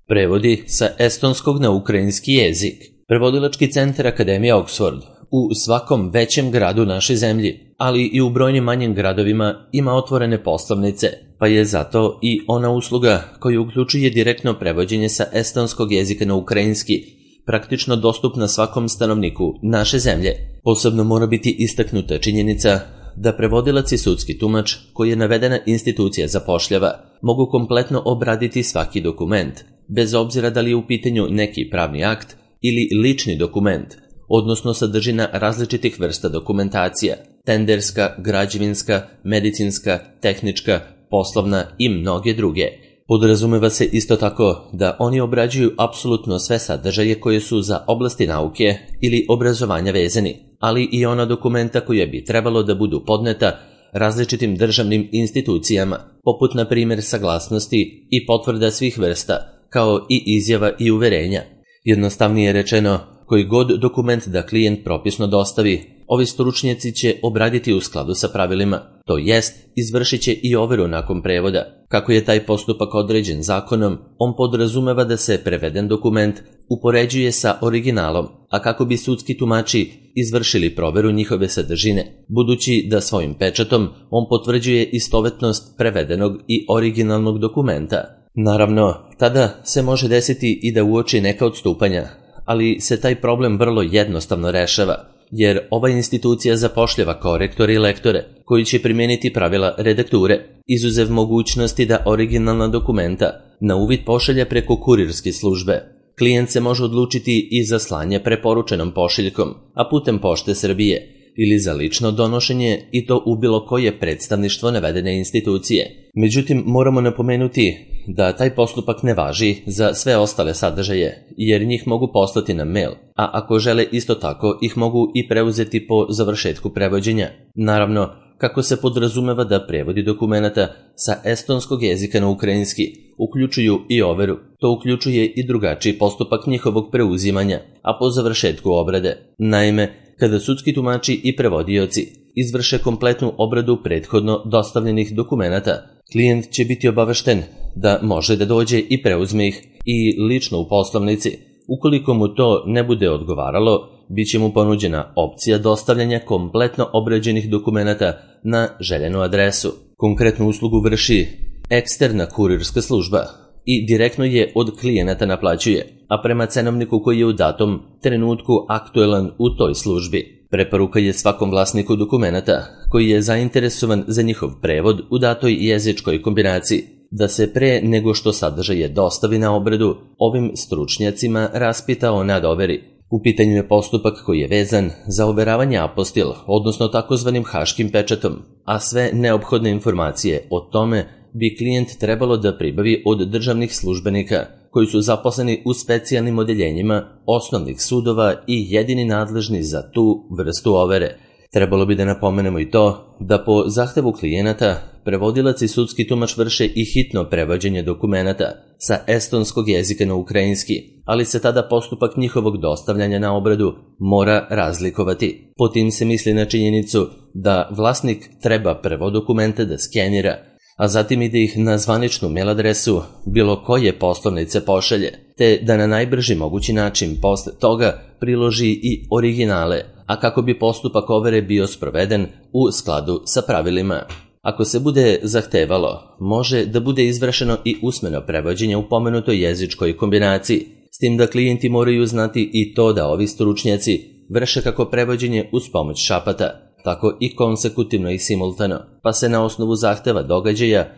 Prevodi sa estonskog na ukrajinski jezik. Prevodilački centar Akademija Oxford u svakom većem gradu naše zemlji, ali i u brojnim manjim gradovima ima otvorene poslovnice, pa je zato i ona usluga koja uključuje direktno prevođenje sa estonskog jezika na ukrajinski praktično dostupna svakom stanovniku naše zemlje. Posebno mora biti istaknuta činjenica da prevodilac i sudski tumač koji je navedena institucija zapošljava mogu kompletno obraditi svaki dokument, bez obzira da li je u pitanju neki pravni akt ili lični dokument, odnosno sadržina različitih vrsta dokumentacija, tenderska, građevinska, medicinska, tehnička, poslovna i mnoge druge. Podrazumeva se isto tako da oni obrađuju apsolutno sve sadržaje koje su za oblasti nauke ili obrazovanja vezani, ali i ona dokumenta koja bi trebalo da budu podneta različitim državnim institucijama, poput na primjer saglasnosti i potvrda svih vrsta, kao i izjava i uverenja. Jednostavnije rečeno, koji god dokument da klijent propisno dostavi, ovi stručnjaci će obraditi u skladu sa pravilima, to jest izvršit će i overu nakon prevoda. Kako je taj postupak određen zakonom, on podrazumeva da se preveden dokument upoređuje sa originalom, a kako bi sudski tumači izvršili proveru njihove sadržine, budući da svojim pečatom on potvrđuje istovetnost prevedenog i originalnog dokumenta. Naravno, tada se može desiti i da uoči neka odstupanja, ali se taj problem vrlo jednostavno rešava, jer ova institucija zapošljava korektore i lektore koji će primijeniti pravila redakture, izuzev mogućnosti da originalna dokumenta na uvid pošalje preko kurirske službe. Klijent se može odlučiti i za slanje preporučenom pošiljkom, a putem Pošte Srbije, ili za lično donošenje i to u bilo koje predstavništvo navedene institucije. Međutim, moramo napomenuti da taj postupak ne važi za sve ostale sadržaje, jer njih mogu poslati na mail, a ako žele isto tako ih mogu i preuzeti po završetku prevođenja. Naravno, kako se podrazumeva da prevodi dokumenata sa estonskog jezika na ukrajinski uključuju i overu, to uključuje i drugačiji postupak njihovog preuzimanja, a po završetku obrade. Naime, kada sudski tumači i prevodioci izvrše kompletnu obradu prethodno dostavljenih dokumenata, klijent će biti obavešten da može da dođe i preuzme ih i lično u poslovnici. Ukoliko mu to ne bude odgovaralo, bit će mu ponuđena opcija dostavljanja kompletno obrađenih dokumenata na željenu adresu. Konkretnu uslugu vrši eksterna kurirska služba i direktno je od klijenata naplaćuje, a prema cenovniku koji je u datom trenutku aktuelan u toj službi. Preporuka je svakom vlasniku dokumenata koji je zainteresovan za njihov prevod u datoj jezičkoj kombinaciji da se pre nego što sadržaje dostavi na obradu ovim stručnjacima raspita o nadoveri. U pitanju je postupak koji je vezan za overavanje apostil, odnosno takozvanim haškim pečatom, a sve neophodne informacije o tome bi klijent trebalo da pribavi od državnih službenika koji su zaposleni u specijalnim odeljenjima osnovnih sudova i jedini nadležni za tu vrstu overe. Trebalo bi da napomenemo i to da po zahtevu klijenata prevodilac i sudski tumač vrše i hitno prevođenje dokumenata sa estonskog jezika na ukrajinski, ali se tada postupak njihovog dostavljanja na obradu mora razlikovati. Po tim se misli na činjenicu da vlasnik treba prvo dokumente da skenira, a zatim i da ih na zvaničnu mail adresu bilo koje poslovnice pošalje, te da na najbrži mogući način posle toga priloži i originale, a kako bi postupak overe bio sproveden u skladu sa pravilima. Ako se bude zahtevalo, može da bude izvršeno i usmeno prevođenje u pomenutoj jezičkoj kombinaciji, s tim da klijenti moraju znati i to da ovi stručnjaci vrše kako prevođenje uz pomoć šapata, tako i konsekutivno i simultano, pa se na osnovu zahteva događaja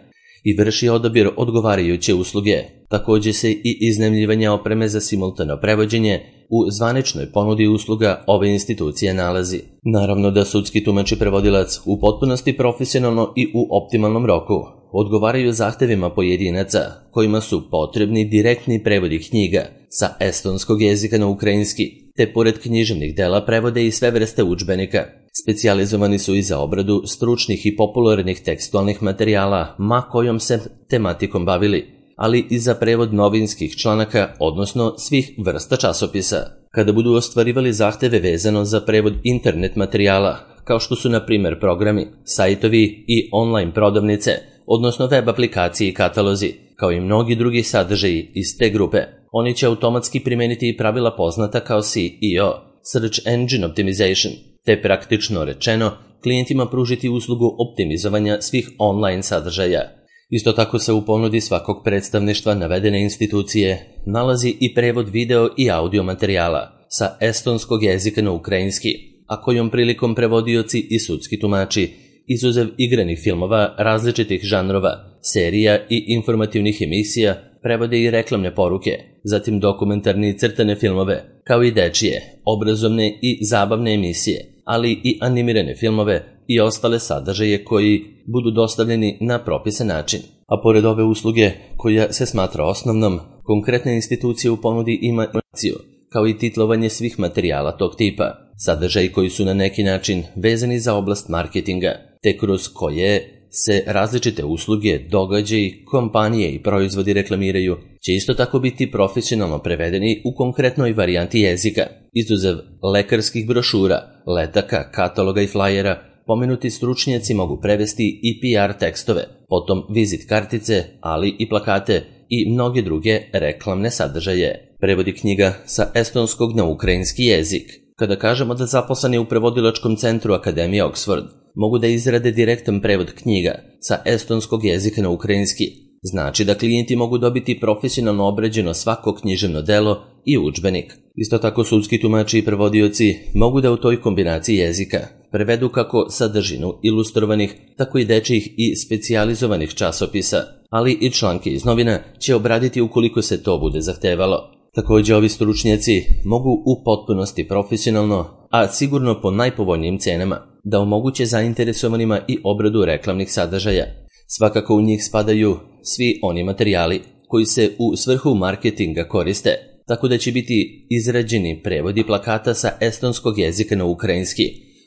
i vrši odabir odgovarajuće usluge. Također se i iznajmljivanje opreme za simultano prevođenje u zvaničnoj ponudi usluga ove institucije nalazi. Naravno da sudski tumač i prevodilac u potpunosti profesionalno i u optimalnom roku odgovaraju zahtevima pojedinaca kojima su potrebni direktni prevodi knjiga sa estonskog jezika na ukrajinski, te pored književnih dela prevode i sve vrste udžbenika. Specijalizovani su i za obradu stručnih i popularnih tekstualnih materijala ma kojom se tematikom bavili, ali i za prevod novinskih članaka, odnosno svih vrsta časopisa. Kada budu ostvarivali zahteve vezano za prevod internet materijala, kao što su na primjer programi, sajtovi i online prodavnice, odnosno web aplikacije i katalozi, kao i mnogi drugi sadržaji iz te grupe. Oni će automatski primeniti i pravila poznata kao SEO, Search Engine Optimization, te praktično rečeno klijentima pružiti uslugu optimizovanja svih online sadržaja. Isto tako se u ponudi svakog predstavništva navedene institucije nalazi i prevod video i audio materijala sa estonskog jezika na ukrajinski, a kojom prilikom prevodioci i sudski tumači, izuzev igranih filmova različitih žanrova, serija i informativnih emisija, prevode i reklamne poruke, zatim dokumentarne i crtane filmove, kao i dečije, obrazovne i zabavne emisije, ali i animirane filmove i ostale sadržaje koji budu dostavljeni na propisan način. A pored ove usluge, koja se smatra osnovnom, konkretna institucija u ponudi ima informaciju, kao i titlovanje svih materijala tog tipa, sadržaji koji su na neki način vezani za oblast marketinga, te kroz koje se različite usluge, događaji, kompanije i proizvodi reklamiraju, će isto tako biti profesionalno prevedeni u konkretnoj varijanti jezika. Izuzev lekarskih brošura, letaka, kataloga i flajera, pomenuti stručnjaci mogu prevesti i PR tekstove, potom vizit kartice, ali i plakate i mnoge druge reklamne sadržaje. Prevodi knjiga sa estonskog na ukrajinski jezik. Kada kažemo da zaposleni u prevodilačkom centru Akademije Oxford mogu da izrade direktan prevod knjiga sa estonskog jezika na ukrajinski, znači da klijenti mogu dobiti profesionalno obrađeno svako književno delo i udžbenik. Isto tako sudski tumači i prevodioci mogu da u toj kombinaciji jezika prevedu kako sadržinu ilustrovanih, tako i dečijih i specijalizovanih časopisa, ali i članke iz novina će obraditi ukoliko se to bude zahtevalo. Također ovi stručnjaci mogu u potpunosti profesionalno, a sigurno po najpovoljnijim cenama, da omoguće zainteresovanima i obradu reklamnih sadržaja. Svakako u njih spadaju svi oni materijali koji se u svrhu marketinga koriste, tako da će biti izrađeni prevodi plakata sa estonskog jezika na ukrajinski,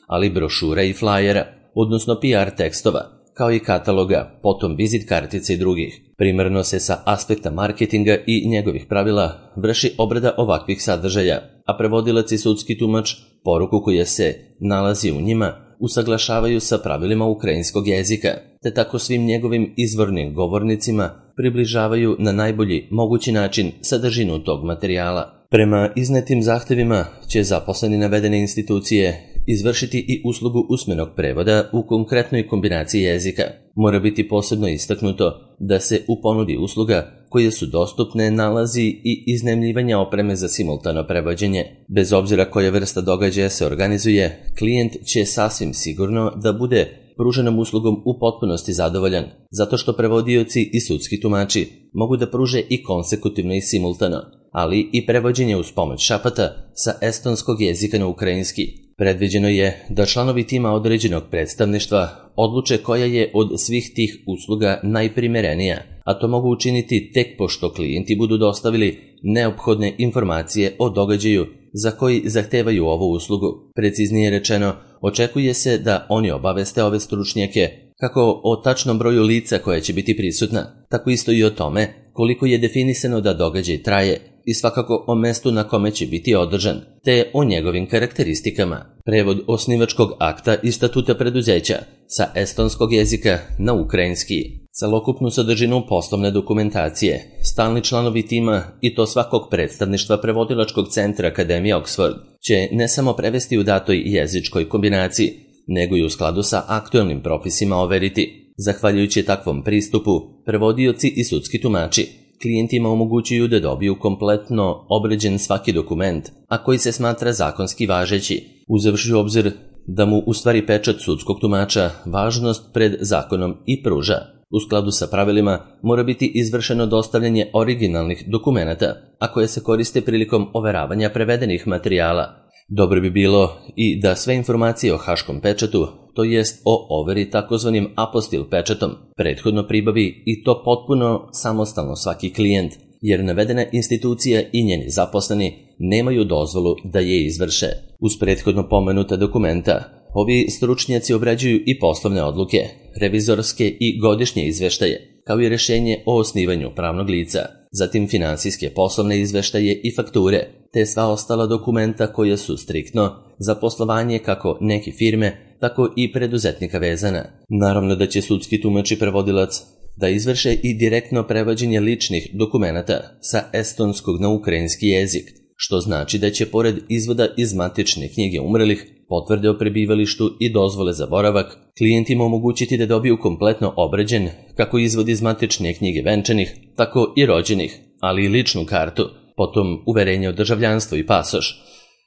ali brošura i flajera, odnosno PR tekstova, kao i kataloga, potom vizit kartice i drugih. Primarno se sa aspekta marketinga i njegovih pravila vrši obrada ovakvih sadržaja, a prevodilac i sudski tumač poruku koja se nalazi u njima usaglašavaju sa pravilima ukrajinskog jezika, te tako svim njegovim izvornim govornicima približavaju na najbolji mogući način sadržinu tog materijala. Prema iznetim zahtevima će zaposleni navedene institucije izvršiti i uslugu usmenog prevoda u konkretnoj kombinaciji jezika. Mora biti posebno istaknuto da se u ponudi usluga koje su dostupne nalazi i iznajmljivanja opreme za simultano prevođenje. Bez obzira koja vrsta događaja se organizuje, klijent će sasvim sigurno da bude pruženom uslugom u potpunosti zadovoljan, zato što prevodioci i sudski tumači mogu da pruže i konsekutivno i simultano, ali i prevođenje uz pomoć šapata sa estonskog jezika na ukrajinski. Predviđeno je da članovi tima određenog predstavništva odluče koja je od svih tih usluga najprimerenija, a to mogu učiniti tek pošto klijenti budu dostavili neophodne informacije o događaju za koji zahtevaju ovu uslugu. Preciznije rečeno, očekuje se da oni obaveste ove stručnjake kako o tačnom broju lica koja će biti prisutna, tako isto i o tome koliko je definisano da događaj traje i svakako o mestu na kome će biti održan, te o njegovim karakteristikama. Prevod osnivačkog akta i statuta preduzeća sa estonskog jezika na ukrajinski. Celokupnu sadržinu poslovne dokumentacije, stalni članovi tima i to svakog predstavništva prevodilačkog centra Akademije Oxford će ne samo prevesti u datoj jezičkoj kombinaciji, nego i u skladu sa aktuelnim propisima overiti. Zahvaljujući takvom pristupu, prevodioci i sudski tumači klijentima omogućuju da dobiju kompletno obrađen svaki dokument, a koji se smatra zakonski važeći, uzevši u obzir da mu u stvari pečat sudskog tumača važnost pred zakonom i pruža. U skladu sa pravilima mora biti izvršeno dostavljanje originalnih dokumenata, a koje se koriste prilikom overavanja prevedenih materijala. Dobro bi bilo i da sve informacije o haškom pečatu, to jest o overi takozvanim apostil pečatom, prethodno pribavi i to potpuno samostalno svaki klijent, jer navedena institucija i njeni zaposleni nemaju dozvolu da je izvrše. Uz prethodno pomenuta dokumenta, ovi stručnjaci obrađuju i poslovne odluke, revizorske i godišnje izveštaje, kao i rješenje o osnivanju pravnog lica, zatim finansijske poslovne izveštaje i fakture, te sva ostala dokumenta koja su striktno za poslovanje kako neke firme, tako i preduzetnika vezana. Naravno da će sudski tumač i prevodilac da izvrše i direktno prevođenje ličnih dokumenata sa estonskog na ukrajinski jezik, što znači da će pored izvoda iz matične knjige umrlih, potvrde o prebivalištu i dozvole za boravak, klijentima omogućiti da dobiju kompletno obrađen kako izvod iz matične knjige venčanih, tako i rođenih, ali i ličnu kartu, potom uverenje o državljanstvu i pasoš,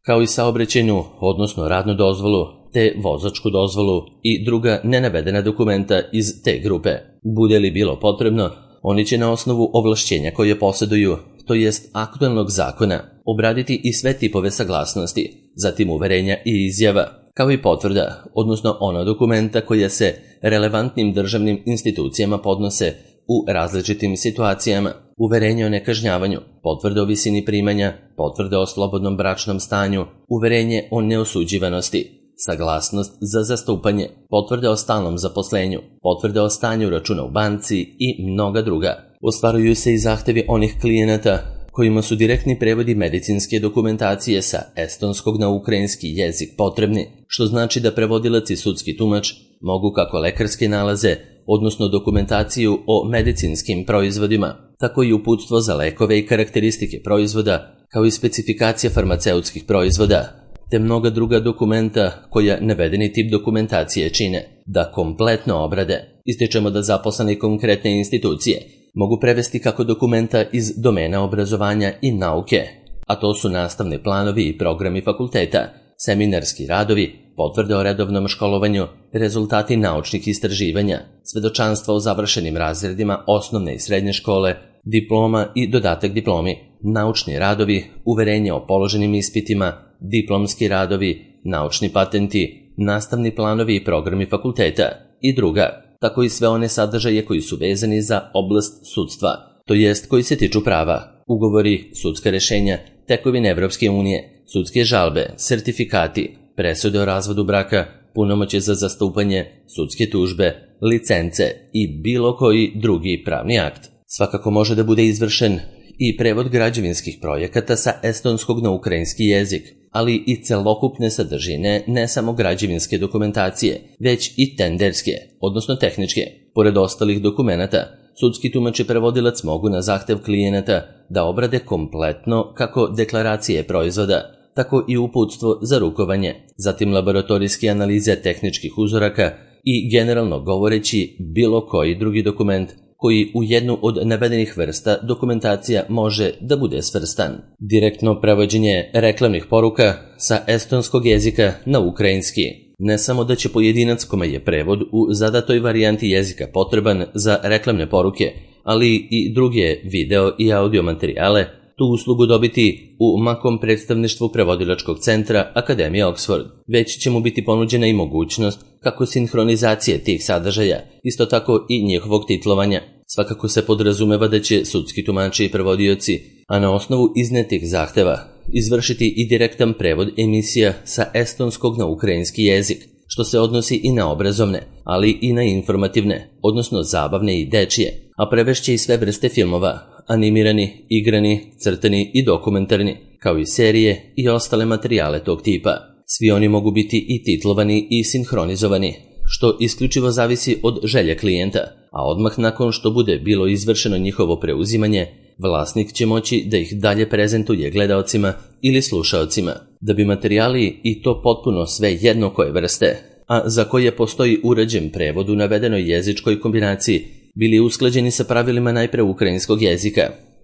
kao i saobraćajnu, odnosno radnu dozvolu, te vozačku dozvolu i druga nenavedena dokumenta iz te grupe. Bude li bilo potrebno, oni će na osnovu ovlašćenja koje posjeduju, to jest aktualnog zakona, obraditi i sve tipove saglasnosti, zatim uverenja i izjava, kao i potvrda, odnosno ona dokumenta koja se relevantnim državnim institucijama podnose u različitim situacijama, uverenje o nekažnjavanju, potvrde o visini primanja, potvrde o slobodnom bračnom stanju, uverenje o neosuđivanosti, saglasnost za zastupanje, potvrde o stalnom zaposlenju, potvrde o stanju računa u banci i mnoga druga. Ostvaruju se i zahtevi onih klijenata kojima su direktni prevodi medicinske dokumentacije sa estonskog na ukrajinski jezik potrebni, što znači da prevodilac i sudski tumač mogu kako lekarske nalaze, odnosno dokumentaciju o medicinskim proizvodima, tako i uputstvo za lekove i karakteristike proizvoda, kao i specifikacija farmaceutskih proizvoda, te mnoga druga dokumenta koja navedeni tip dokumentacije čine, da kompletno obrade. Ističemo da zaposleni konkretne institucije mogu prevesti kako dokumenta iz domena obrazovanja i nauke, a to su nastavni planovi i programi fakulteta, seminarski radovi, potvrde o redovnom školovanju, rezultati naučnih istraživanja, svedočanstva o završenim razredima osnovne i srednje škole, diploma i dodatak diplomi, naučni radovi, uverenje o položenim ispitima, diplomski radovi, naučni patenti, nastavni planovi i programi fakulteta i druga, tako i sve one sadržaje koji su vezani za oblast sudstva, to jest koji se tiču prava, ugovori, sudska rešenja, tekovine Evropske unije, sudske žalbe, sertifikati, presude o razvodu braka, punomoćje za zastupanje, sudske tužbe, licence i bilo koji drugi pravni akt. Svakako može da bude izvršen i prevod građevinskih projekata sa estonskog na ukrajinski jezik, ali i celokupne sadržine ne samo građevinske dokumentacije, već i tenderske, odnosno tehničke. Pored ostalih dokumenata, sudski tumač i prevodilac mogu na zahtev klijenata da obrade kompletno kako deklaracije proizvoda, tako i uputstvo za rukovanje, zatim laboratorijske analize tehničkih uzoraka i generalno govoreći bilo koji drugi dokument koji u jednu od navedenih vrsta dokumentacija može da bude svrstan. Direktno prevođenje reklamnih poruka sa estonskog jezika na ukrajinski. Ne samo da će pojedinac kome je prevod u zadatoj varijanti jezika potreban za reklamne poruke, ali i druge video i audio materijale, tu uslugu dobiti u makom predstavništvu prevodilačkog centra Akademije Oxford, već će mu biti ponuđena i mogućnost kako sinhronizacije tih sadržaja, isto tako i njihovog titlovanja. Svakako se podrazumeva da će sudski tumači i prevodioci, a na osnovu iznetih zahteva, izvršiti i direktan prevod emisija sa estonskog na ukrajinski jezik, što se odnosi i na obrazovne, ali i na informativne, odnosno zabavne i dečije, a prevešće i sve vrste filmova, animirani, igrani, crtani i dokumentarni, kao i serije i ostale materijale tog tipa. Svi oni mogu biti i titlovani i sinhronizovani, što isključivo zavisi od želje klijenta, a odmah nakon što bude bilo izvršeno njihovo preuzimanje, vlasnik će moći da ih dalje prezentuje gledaocima ili slušaocima, da bi materijali i to potpuno sve jedno koje vrste, a za koje postoji uređen prevod u navedenoj jezičkoj kombinaciji, bili usklađeni sa pravilima najpre ukrajinskog jezika.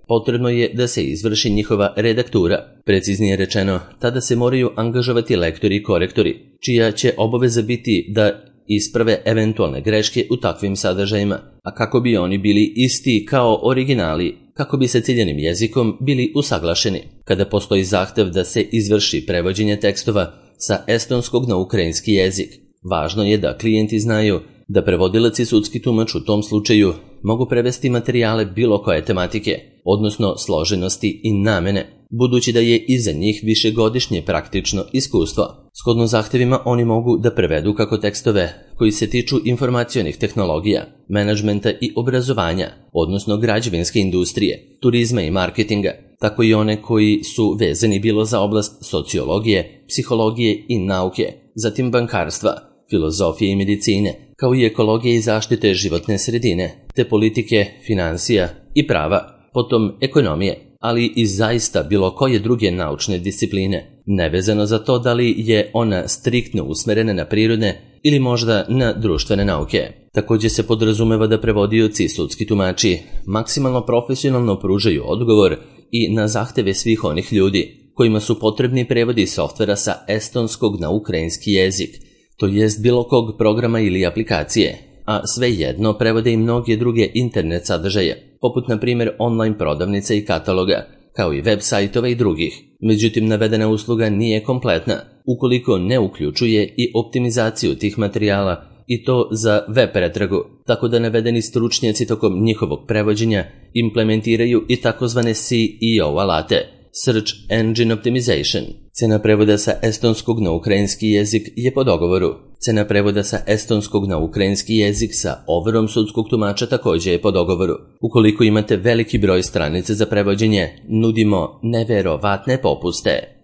Potrebno je da se izvrši njihova redaktura. Preciznije rečeno, tada se moraju angažovati lektori i korektori, čija će obaveza biti da isprave eventualne greške u takvim sadržajima, a kako bi oni bili isti kao originali, kako bi sa ciljanim jezikom bili usaglašeni. Kada postoji zahtev da se izvrši prevođenje tekstova sa estonskog na ukrajinski jezik, važno je da klijenti znaju da prevodilac i sudski tumač u tom slučaju mogu prevesti materijale bilo koje tematike, odnosno složenosti i namene, budući da je iza njih višegodišnje praktično iskustvo. Shodno zahtevima oni mogu da prevedu kako tekstove koji se tiču informacionih tehnologija, menadžmenta i obrazovanja, odnosno građevinske industrije, turizma i marketinga, tako i one koji su vezani bilo za oblast sociologije, psihologije i nauke, zatim bankarstva, filozofije i medicine, kao i ekologije i zaštite životne sredine, te politike, finansija i prava, potom ekonomije, ali i zaista bilo koje druge naučne discipline, nevezano za to da li je ona striktno usmerena na prirodne ili možda na društvene nauke. Također se podrazumeva da prevodioci i sudski tumači maksimalno profesionalno pružaju odgovor i na zahteve svih onih ljudi kojima su potrebni prevodi softvera sa estonskog na ukrajinski jezik, to jest bilo kog programa ili aplikacije, a svejedno prevode i mnoge druge internet sadržaje, poput na primjer online prodavnica i kataloga, kao i web sajtova i drugih. Međutim, navedena usluga nije kompletna ukoliko ne uključuje i optimizaciju tih materijala i to za web pretragu, tako da navedeni stručnjaci tokom njihovog prevođenja implementiraju i takozvane SEO alate, Search Engine Optimization. Cena prevoda sa estonskog na ukrajinski jezik je po dogovoru. Cena prevoda sa estonskog na ukrajinski jezik sa overom sudskog tumača također je po dogovoru. Ukoliko imate veliki broj stranica za prevođenje, nudimo neverovatne popuste.